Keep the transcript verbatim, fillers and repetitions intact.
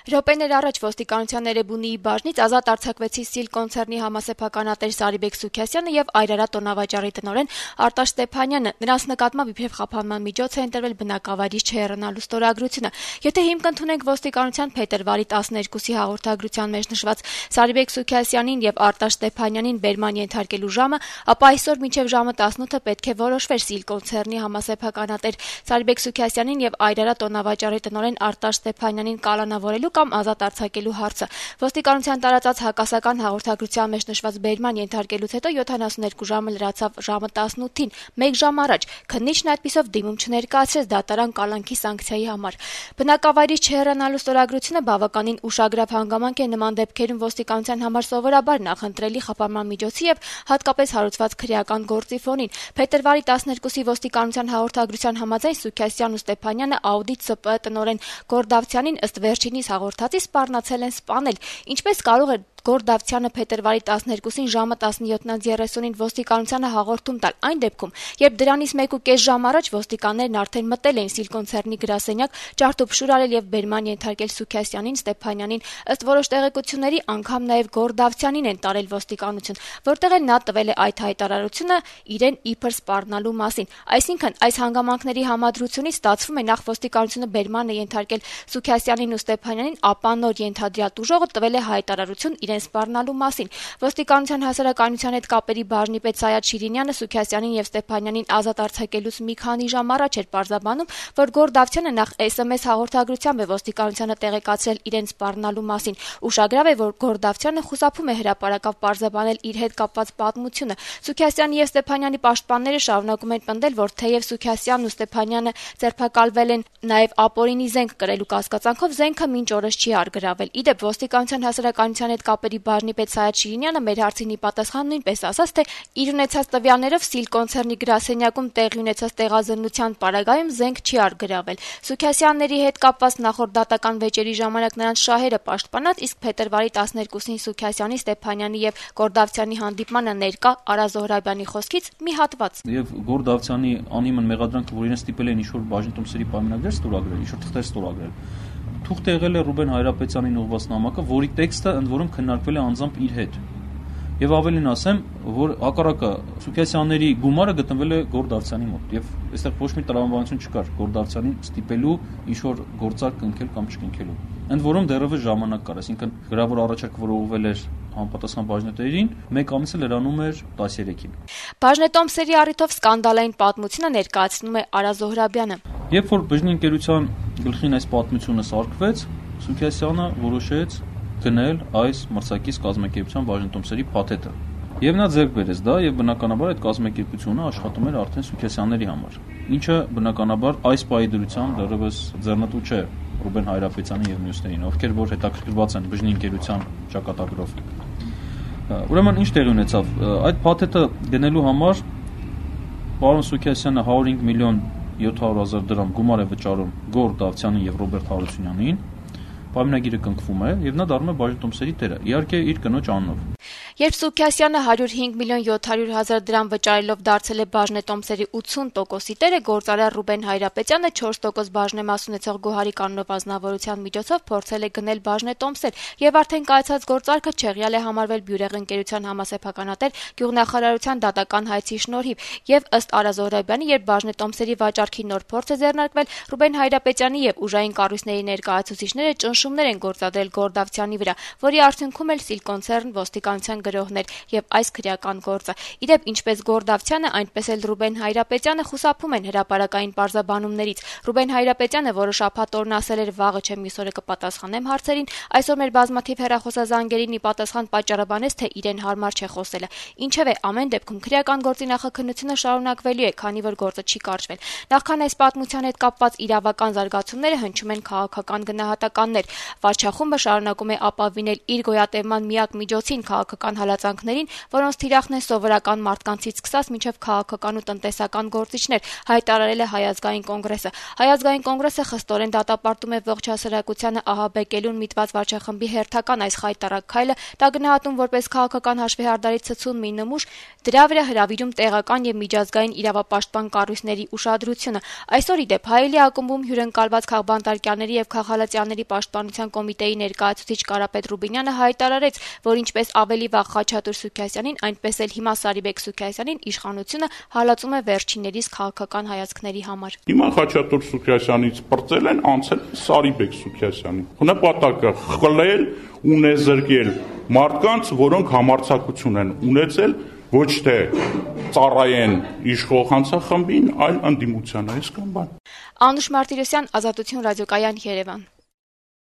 Րոպեներ առաջ ոստիկանության Էրեբունիի բաժնից ազատ արձակվեցի Սիլ կոնցեռնի համասեփականատեր Սարիբեկ Սուքիասյանը եւ Այրարատ տոնավաճառի տնօրեն Արտաշ Ստեփանյանը։ Նրանց նկատմամբ իբրև խափանման միջոց է ընտրվել բնակավայրից չհեռանալու ստորագրությունը։ Եթե հիմք ընդունենք ոստիկանության փետրվարի տասներկուսի հաղորդագրության մեջ նշված Սարիբեկ Սուքիասյանին եւ Արտաշ Ստեփանյանին բերման ենթարկելու ժամը, ապա այսօր մինչեւ ժամը տասնութը պետք է որոշվեր Սիլ կոնցեռնի համասեփականատեր Սարիբեկ Սուքիասյանին եւ Այրարատ տոնավաճառի տնօրեն Արտաշ Ստեփանյանին կալանավորելու կամ ազատ արձակելու հարցը։ Ոստիկանության տարածած հակասական հաղորդագրության մեջ նշված բերման ենթարկելուց հետո յոթանասուներկու ժամը լրացավ ժամը տասնութին, մեկ ժամ առաջ։ Քննիչն այդպիսով դիմում չներկայացրեց դատարան կալանքի սանկցիայի համար։ Բնակավայրից չհեռանալու ստորագրությունը բավականին ուշագրավ հանգամանք է նման դեպքերում ոստիկանության համար սովորաբար նախընտրելի խափանման միջոցի եւ հատկապես հարուցված քրեական գործի ֆոնին։ Փետրվարի տասներկուսի ոստիկանության հաղորդագրության համաձայն Սուքիասյանն ու Ստեփանյանը աուդիտ ՍՊԸ տնօրեն Գորդավցյանին ըստ վերջինիս հաղորդածի սպառնացել են սպանել։ Ինչպես կարող է Գորդավցյանը փետրվարի տասներկուսին ժամը տասնյոթ երեսունին ոստիկանությանը հաղորդում տալ այն դեպքում, երբ դրանից մեկուկես ժամ առաջ ոստիկաններն արդեն մտել էին Սիլ կոնցեռնի գրասենյակ, ջարդուփշուր արել եւ բերման ենթարկել Սուքիասյանին, Ստեփանյանին, ըստ որոշ տեղեկությունների անգամ նաեւ Գորդավցյանին են տարել ոստիկանություն, որտեղ էլ նա տվել է այդ հայտարարությունը իրեն իբր սպառնալու մասին։ Այսինքն այս հանգամանքների համադրությունից ստացվում է նախ ոստիկանությունը բերման է ենթարկել Սուքիասյանին ու Ստեփանյանին, ապա նոր ենթադրյալ ուժողը տվել է հայտարարություն իրեն սպառնալու մասին։ Ոստիկանության հասարակայնության հետ կապերի բաժնի պետ Սայաթ Շիրինյանը Սուքիասյանին եւ Ստեփանյանին ազատ արձակելուց մի քանի ժամ առաջ էր պարզաբանում, որ Գորդավցյանը նախ էս էմ էս հաղորդագրությամբ է ոստիկանությանը տեղեկացրել իրեն սպառնալու մասին։ Ուշագրավ է, որ Գորդավցյանը խուսափում է հրապարակավ պարզաբանել իր հետ կապված պատմությունը։ Սուքիասյանի եւ Ստեփանյանի պաշտպանները շարունակում են պնդել, որ թեև Սուքիասյանն ու Ստեփանյանը ձերբակալվել են նաեւ ապօրինի զենք կրելու կասկածանքով, զենքը մինչ օրս չի արգրավել։ Իդեպ ոստիկանության հասարակայնության հետ կապերի բաժնի պետ Սայաթ Շիրինյանը մեր հարցին ի պատասխան նույնպես ասաց, թե իր ունեցած տվյալներով Սիլ կոնցեռնի գրասենյակում տեղի ունեցած տեղազննության պարագայում զենք չի արգրավել։ Սուքիասյանների հետ կապված նախորդ դատական վեճերի ժամանակ նրանց շահերը պաշտպանած, իսկ փետրվարի տասներկուսին Սուքիասյանի, Ստեփանյանի եւ Գորդավցյանի հանդիպմանը ներկա Արա Զոհրաբյանի խոսքից մի հատված։ Եվ Գորդավցյանի անիմն մեղադրանքը, որ իրեն ստիպել են ինչ-որ բաժնետոմսերի պայմանագրեր ստորագրել, ինչ-որ թղթեր ստորագրել, թուղթ եղել է Ռուբեն Հայրապետյանին ուղղված նամակը, որի տեքստը ընդ որում քննարկվել է անձամբ իր հետ։ Եվ ավելին ասեմ, որ հակառակը Սուքիասյանների գումարը գտնվել է Գորդավցյանի մոտ, եւ այստեղ ոչ մի տրամաբանություն չկար Գորդավցյանին ստիպելու ինչ-որ գործարք կնքել կամ չկնքելու։ Ընդ որում դեռևս ժամանակ կար, այսինքն գրավոր առաջարկ, որ ուղղվել էր համապատասխան բաժնետերին, մեկ ամիսը լրանում էր տասներեքին։ Բաժնետոմսերի առիթով սկանդալային պատմությունը ներկայացնում է Արա Զոհրաբյանը։ Երբ որ բժշկի ընկերության գլխին այս պատմությունը սարքվեց, Սուքիասյանը որոշեց գնել այս մրցակից կազմակերպության բաժնետոմսերի փաթեթը։ Եվ նա ձեռք բերեց դա, եւ բնականաբար այդ կազմակերպությունը աշխատում էր արդեն Սուքիասյանների համար, ինչը բնականաբար այս պահի դրությամբ դեռևս ձեռնտու չէ Ռուբեն Հայրապետյանի եւ մյուսներին, ովքեր որ հետաքրքրված են բժշկի ընկերության ճակատագրով։ Ուրեմն ինչ տեղի ունեցավ։ Այդ փաթեթը գնելու համար պարոն Սուքիասյանը հարյուր հինգ միլիոն յոթ հարյուր հազար դրամ գումար է վճարում Գորդավցյանին եւ Ռոբերտ Հարությունյանին։ Պայմանագիրը կնքվում է եւ նա դառնում է բաժնետոմսերի տերը, իհարկե իր կնոջ անունով։ Երբ Սուքիասյանը հարյուր հինգ միլիոն յոթ հարյուր հազար դրամ վճարելով դարձել է բաժնետոմսերի ութսուն տոկոսի տերը, գործարար Ռուբեն Հայրապետյանը չորս տոկոս բաժնեմաս ունեցող Գոհարի կանոնով ազնվորության միջոցով փորձել է գնել բաժնետոմսեր եւ արդեն կայացած գործարքը չեղյալ է համարվել Բյուրեղ ընկերության համասեփականատեր գյուղնախարարության դատական հայցի շնորհիվ եւ ըստ Արա Զոհրաբյանի, երբ բաժնետոմսերի վաճառքի նոր փորձ է ձեռնարկվել, Ռուբեն Հայրապետյանի եւ ուժային կառույցների ներկայացուցիչները ճնշումներ են գործադրել Գորդավցյանի վրա, որի արդյունքում էլ Սիլ կոնցեռն ոստիկանության գրողներ եւ այս քրեական գործը։ Իդեպ ինչպես Գորդավցյանը, այնպես էլ Ռուբեն Հայրապետյանը խուսափում են հրապարակային պարզաբանումներից։ Ռուբեն Հայրապետյանը, որը շաբաթ օրն ասել էր վաղը չեմ մյուս օրը կպատասխանեմ հարցերին, այսօր մեր բազմաթիվ հեռախոսազանգերին ի պատասխան պատճառաբանեց, թե իրեն հարմար չէ խոսելը։ Ինչևէ, ամեն դեպքում քրեական գործի նախաքննությունը շարունակվելու է, քանի որ գործը չի կարճվել։ Նախքան այս պատմության հետ կապված իրավական զարգացումները հնչում են քաղաքական գնահատականներ։ Վարչախումբը շարունակում է ապավինել իր գոյատևման միակ միջոցին քաղաքական քաղաքական հալածանքներին, որոնց թիրախն են սովորական մարդկանցից սկսած մինչև քաղաքական ու տնտեսական գործիչներ, հայտարարել է Հայ ազգային կոնգրեսը։ Հայ ազգային կոնգրեսը խստորեն դատապարտում է ողջ հասարակությանը ահաբեկելուն միտված վարչախմբի հերթական այս խայտարակ քայլը, դա գնահատում որպես քաղաքական հաշվեհարդարի ցցուն մի նմուշ, դրա վրա հրավիրում տեղական եւ միջազգային իրավապաշտպան կառույցների ուշադրությունը։ Այսօր ի դեպ Հայելի ակումբում հյուրընկալված քաղբանտարկյանների եւ քաղաքալացյանների պաշտպանության կոմիտեի ներկայացուցիչ Կարապետ Ռուբինյանը հայտարարեց, որ ինչպես ավելի վաղ Խաչատուր Սուքիասյանին, այնպես էլ հիմա Սարիբեկ Սուքիասյանին իշխանությունը հալածում է վերջիններիս քաղաքական հայացքների համար։ Հիմա Խաչատուր Սուքիասյանից պրծել են, անցել Սարիբեկ Սուքիասյանին։ Նպատակը խլել, ունեզրկել մարդկանց, որոնք համարձակություն են ունեցել ոչ թե ծառայեն իշխող հանցախմբին, այլ ընդդիմությանը, այսքան բան։ Անուշ Մարտիրոսյան, Ազատություն ռադիոկայան, Երևան։